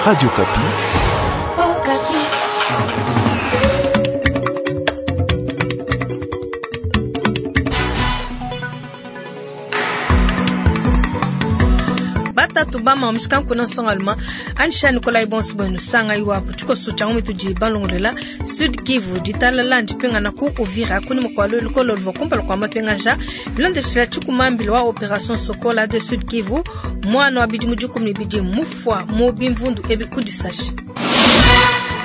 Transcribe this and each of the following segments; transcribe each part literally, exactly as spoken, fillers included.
Radio Okapi. Okapi. Batatu bama omishikanku na nsongaluma anisha Nikolai bonso bwenu sanga iwapo tshikoso tshia ngumi tudi balongolela Sud Kivu ditalala ndipingana ku Uvira kuni mukwalo lukolo luvua kumpala kua mapengaja bilondeshela tshikumambila wa Operation Sokola de Sud Kivu mwana wa bidimu dikumi ne bidi mufua mu bimvundu ebi kudisashi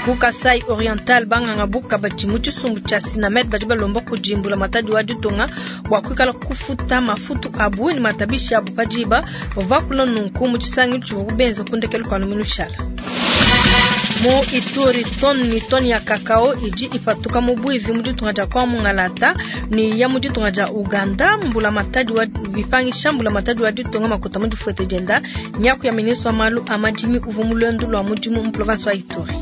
ku Kasai Oriental banganga buka badi mu tshisumbu tshia Sinamed badi balomba kudimbula matadi wa ditunga bua kuikala kufuta mafutu abu ne matabishi abu padiba bavua bakula nunku mu tshisangilu tshivua kubenza ku ndekelu kua lumingu lushala. Mu Ituri toni ni toni ya kakao idi ipatuka mu buivi mu ditunga dia kwa Mungalata ni ya mu ditunga dia Uganda mbula matadi wa bipangisha mbula matadi wa ditunga makuta mu difuete dienda nyaku ya ministre wa malu a madimi uvua mu luendu lua mudimu mu province wa Ituri.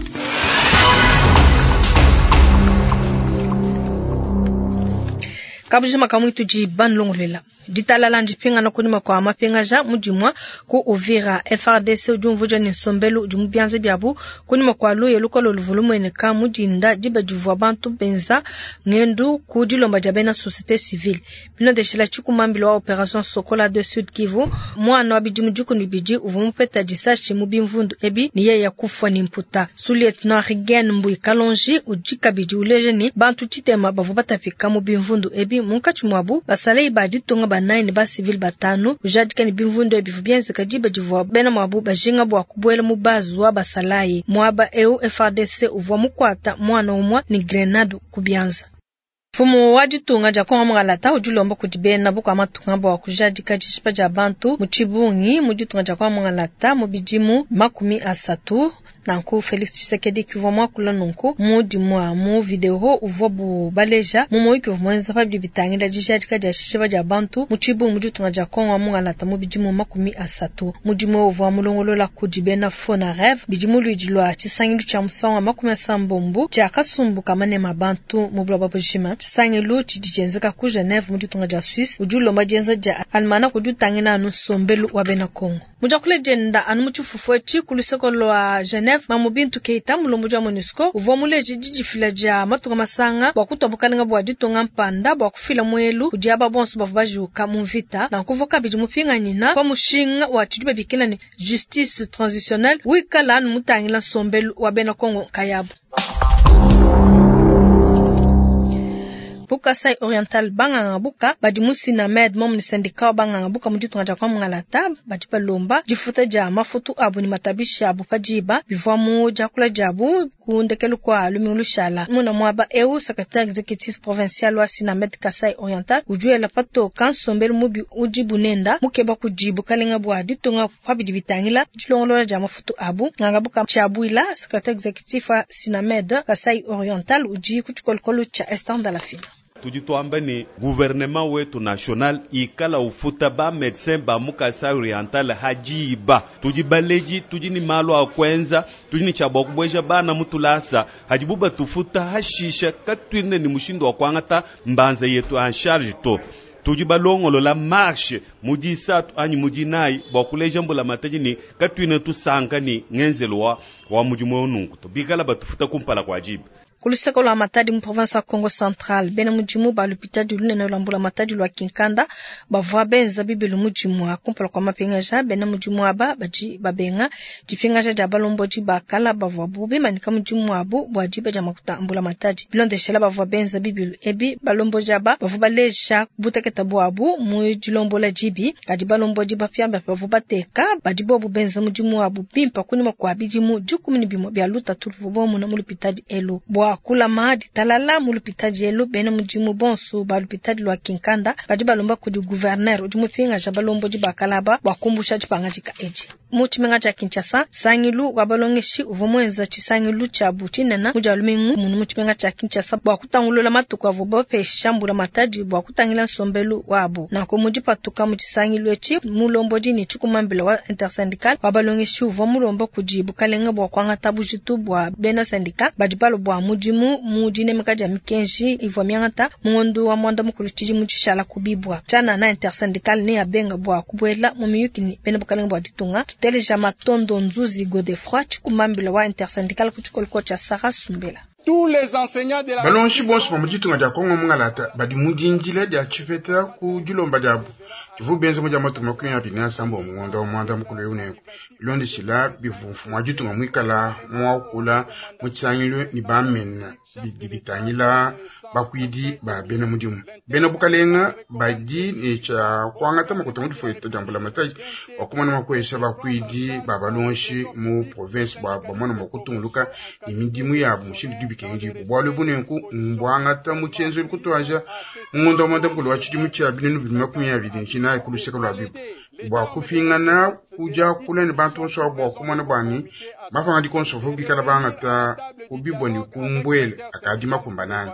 Kabujima kamwitu di banlongolela ditalala ndipingana kunyima kua mapingaja mudimua ku Uvira F R D C udi umvuja ne nsombelu udi mu bianza biabu kunyima kua luya lukolo luvua lumueneka mudinda diba divua bantu benza ngendu ku dilomba dia bena société civile bilondeshela tshikumambila wa Operation Sokola de Sud Kivu mwana wa bidimu dikumi bibidi uvua mupeta disashi mu bimvundu ebi ne yeye kufua ne mputa. Sous-lieutenant Rigen Mbui Kalonji udi kabidi uleja ne bantu tshitema bavua batapika mu bimvundu ebi munkatshi muabu basalei ba ditunga banayi ne ba civil batanu ujadika ne bimvundu ebi bivua bienzeka diba divua bena muabu bajinga bua kubuela mu bazu wa basalayi muaba eu F R D C uvua mukuata mwana umue ne grenade ku bianza. Mfumu wa ditunga dia Kongo Mungalata udi ulomba kudi bena bukua matunga bua kujadika dishipa dia bantu mu tshibungi mu ditunga dia Kongo Mungalata mu bidimu makumi asatu. Nanku Felix Tshisekedi kivua muakula nunku mu dimua mu video uvua bu baleja mu muyuki uvua muenza pa bidi bitangila dijadika dia dishipa dia bantu mu tshibungi mu ditunga dia Kongo Mungalata mu bidimu makumi asatu. Mudimu uvua mulongolola kudi bena FONAREV bidimu luidi lua tshisangilu tshia musangu wa makumi asambombo tshia kasumbu ka manema bantu mu buloba bujima. Tshisangilu tshidi tshienzeka ku Geneve mu ditunga dia Suisse udi ulomba dienza dia almanach udi utangila anu nsombelu wa bena Kongo. Mudiakule dienda anu mu tshifufu etshi ku luseko lua Geneve Mamu Bintu Keita mulombodi wa MONUSCO uvua muleje didifila dia matunga masanga bua kutua bukalenga bua ditunga mpanda bua kufila muelu kudi aba bonso bavua bajuka mu mvita nanku kabidi mupinganyina pa mushinga wa tshidi babikila ne justice transitionnelle wikala anu mutangila nsombelu wa bena Kongo nkayabu. Kasai Oriental banganga buka badi mu Sinamed momu ni syndicat wa banganga buka mu ditunga dia kwa Mungalata badi balomba difuta dia mafutu abu ni matabishi abu padiba bivua mu diakula diabu ku ndekelu kua lumingu lushala muna muaba eu secrétaire exécutif provincial wa Sinamed Kasai Oriental udi wela patoka nsombelu mubi udi bunenda mukeba kudi bukalenga bua ditunga pa bidi bitangila dilongolola dia mafutu abu nganga buka tshiabuila secrétaire exécutif wa Sinamed Kasai Oriental udi ku tshikolokolo tshia Esther Ndalafina. Tudi tuamba ni gouvernement wetu national ikala ufuta ba médecin ba mu Kasai Oriental hajiba tudi baleji tudi ni malu a kwenza tudi ni chabwa kubweja bana mutulasa hajibu batufuta hashisha katwine ni mushindo wa kwangata mbanza yetu en charge to tudi balongolola marche mudi isatu anyi mudi inayi bua kuleja mbula mataji ni katwine tusanka ni ngenzelo wa, wa mudimu nunku to bikala batufuta kumpala kwa jiba. Kuluseko lwa Matadi mu province ya Congo Central bena mudimu ba lupitadi lunene lwa mbula matadi lwa Kinkanda bavua benza bibilu mudimu kumpala kwa mapingaja bena mudimu aba badi babenga dipingaja dia balombodi bakala bavua bimanyika mudimu abu bua diba dia makuta mbula matadi bilondeshela bavua benza bibilu ebi balombodi aba bavua baleja buteketa bwabu mu dilombola dibi kadi balombodi bapiamba bavua bateka badi bobu benza mudimu abu bimpa kunyima kua bidimu dikumi ne bimue bia lutatu luvua bomuna mu lupitadi elu bua kulama ditalala mu lupitadi elu bena mudimu bonso ba lupitadi lwa Kinkanda badi balomba kudi gouverneur udi mupingaja balombodi bakalaba bua kumbusha dipangadika edi. Mu tshimenga tshia Kinshasa sangilu wa balongeshi uvua muenza tshisangilu tshiabu tshinene mu dia lumingu munu mu tshimenga tshia Kinshasa bua kutangulula matuku avua bapesha mbula matadi bua kutangila nsombelu wabu. Nanku mu dipatuka mu tshisangilu etshi mulombodi ne tshikumambila wa intersyndical wa balongeshi uvua mulomba kudi bukalenga bua kuangata bujitu bua bena syndicat badi balo bua mudimu mudimu mu dinemeka dia mikenji ivua miangata mu ngondo wa mwanda mukulu tshidimu tshishala kubibwa. Tshianana intersyndical ne abenga bua kubuela mu miyuki ne bena bukalenge bua ditunga. Tuteleja Matondo Nzuzi Godefroy tshikumambila wa intersyndical ku tshikoloko tshia Sarah Sumbela. Balongeshi bonso ba mu ditunga dia Kongo mungalata badi mu dindila dia tshipeta ku dilomba diabu divu benza mu dia matuku makumi abidi ne asambombo mu ngondo wa mwanda mukulu eu nenku bilondeshila bivua mfumu wa ditunga muikala muakula mu tshisangilu ne bamena bidi bitangila bakuidi ba bena mudimu bena bukalenga badi ne tshia kuangata makuta mu difueta dia mbulamatadi bua kumona mua kuesha bakuidi ba balongeshi mu province bua bamona mua kutunguluka ne midimu yabu mushindu dibikengedibua bualu ebu nenku mbuangata mu tshienzelu kutuaja mu ngondo wa mwanda mukulu wa tshidimu tshia binunu bibili makumi abidi ne tshinayi ku luseke lua bibu bua kupingana kudiakula ne bantu bonso abo bua kumona bua ne mapangadika onso avua bikala bangata kubibwa ne kumbwele akadi makumbananga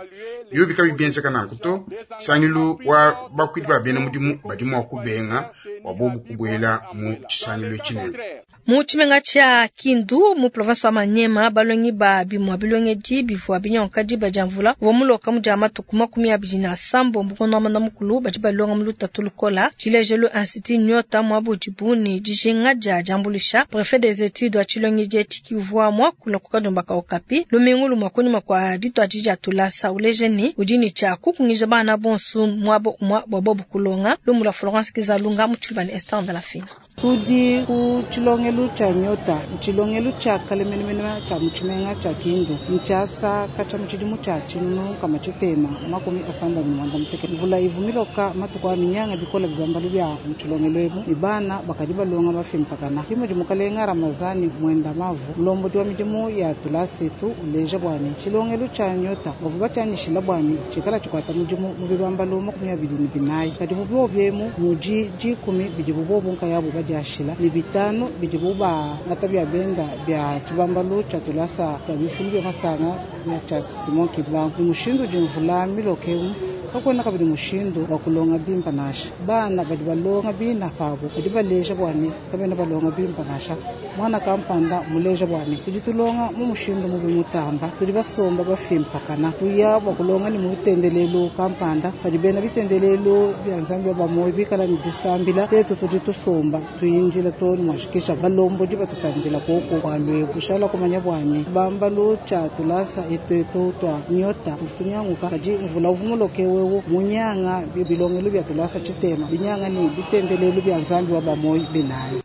bio bikabi bienzeka nanku to sangilu wa bakuidi ba bena mudimu badi mua kubenga bua bobu kubuela mu tshisangilu tshinene. Mu tshimenga tshia Kindu mu province wa Maniema balongi ba bimua bilongedi bivua binyonka diba dia mvula uvua muloka mu dia matuku makumi abidi na asambombo ngondo wa mwanda mukulu badi balonga mu lutatu lukola. Tshilejelu institut Nyota muabu udibu ne dijinga dia diambuluisha. Prefet des études wa tshilongedi etshi kivua muakula ku kadiomba ka Okapi lumingu lumue kunyima kua dituadi dia tulasa uleje ne udi ne tshia kukungija bana bonso muaba umue bua bobu kulonga. Lumu lua Florence Kizalunga mu tshiluba ne Esther Ndalafina. Tudi ku tshilongelu tshia Nyota, tshilongelu tshia kalemenemene tshia mu tshimenga tshia Kindu, ntshiasa katshia mu tshidimu tshia tshinunu kama tshitema makumi asambombo ne mwanda mutekete. Mvula ivu miloka matuku a minyanga bikola bibambalu bia mu tshilongelu emu ne bana bakadi balonga bafimpakana. Kimudi mukalenga Ramazani Mwenda Mavu mulombodi wa midimu ya tulasa etu uleja bua ne tshilongelu tshia Nyota bavua batshianyishila bua ne tshikala tshikuata mudimu mu bibambalu makumi abidi ne binayi. Kadi mu biobi emu mudi dikumi bidibu bobu nkayabu badiashila ne bitanu bidibu bangata bia benda bia tshibambalu tshia tulasa tshia bifulu bia masanga tshia Simon Kimbangu. Ni mushindu udi mvula miloke emu kakuena kabidi mushindu wa kulonga bimpa nansha. Bana badi balonga bina pabu badi baleja bua ne kabena balonga bimpa nansha. Mwana kampanda muleja bua ne tudi tulonga mu mushindu mubi mutamba, tudi basomba bafimpakana tuya bua kulonga ne mu bitendelelu kampanda padi bena bitendelelu bia Nzambi ba moyo bikala ne disambila tetu tudi tusomba tuyinjila to ne mwashikisha balombodi batutandila koko kwa lwebu kushala kumanya bua ne bambalu tshia tulasa etu twa Nyota tufunyanguka kadi mvula uvumuloke wewu munyanga bilongelo bia tulasa tshitema binyanga ne bitendelelu bia Nzambi wa bamoyo binayi.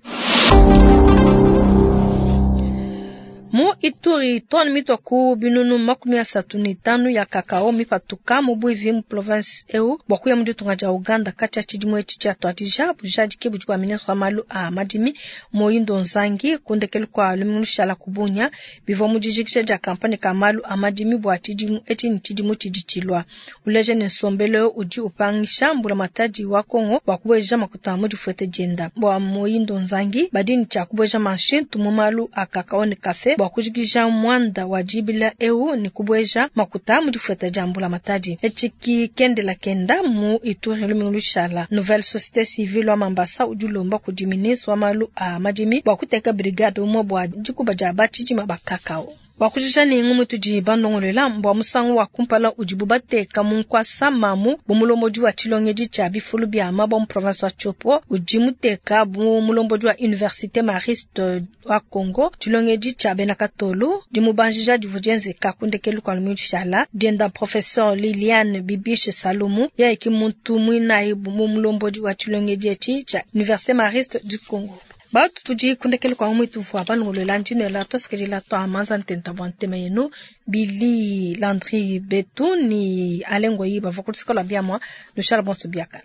Mu Ituri tone mitwa ku binunu makumi asatu ne tanu ya kakao mipatuka mu bwivi mu province eu bua kuya mu ditunga dia Uganda katshia tshidimu etshi tshia tuadija bujadiki budi bua ministre wa malu a madimi Moyindo Nzangi kundekelu kua lumingu lushala kubunya bivua mu dijikija dia kampanye ka malu a madimi bua tshidimu etshi ne tshidimu tshidi tshilua. Uleje ne nsombelu udi upangisha mbulamatadi wa Kongo bua kubueja makuta mu difuete dienda. Bua Moyindo Nzangi badi ne tshia kubueja manshintu mu malu a kakao ne kafe bua kujikija mwanda wa dibila eu ne kubueja makuta mu difueta dia mbulamatadi. Etshiki kendela kenda mu Ituri lumingu lushala. Nouvelle société civile wa Mambasa udi ulomba kudi ministre wa malu a madimi bua kuteka brigade umue bua dikuba dia batshidima ba kakao. Wakujija ne ngumu tudi bandongolela mbwa musangu wa kumpala udibu bateka mu nkwasa mamu bu mulombodi wa tshilongedi tshia bifulu bia mabwa mu province wa Tshopo udi muteka bu mulombodi wa Université Mariste wa Congo tshilongedi tshia bena Katolo dimubanjija divua dienzeka kundekelu kua lumingu lushala dienda professeur Liliane Bibiche Salomo yeye muntu muinayi bu mulombodi wa tshilongedi etshi tshia Université Mariste du Congo. Batu tudi kundekelu kwa mwitu vwa banongolola ndino la tosekedila twa manza ntenta bwa ntema yenu Billy Landry Betu ni Alengo Yiba vakulisikola biamwa lushala bonso biakana.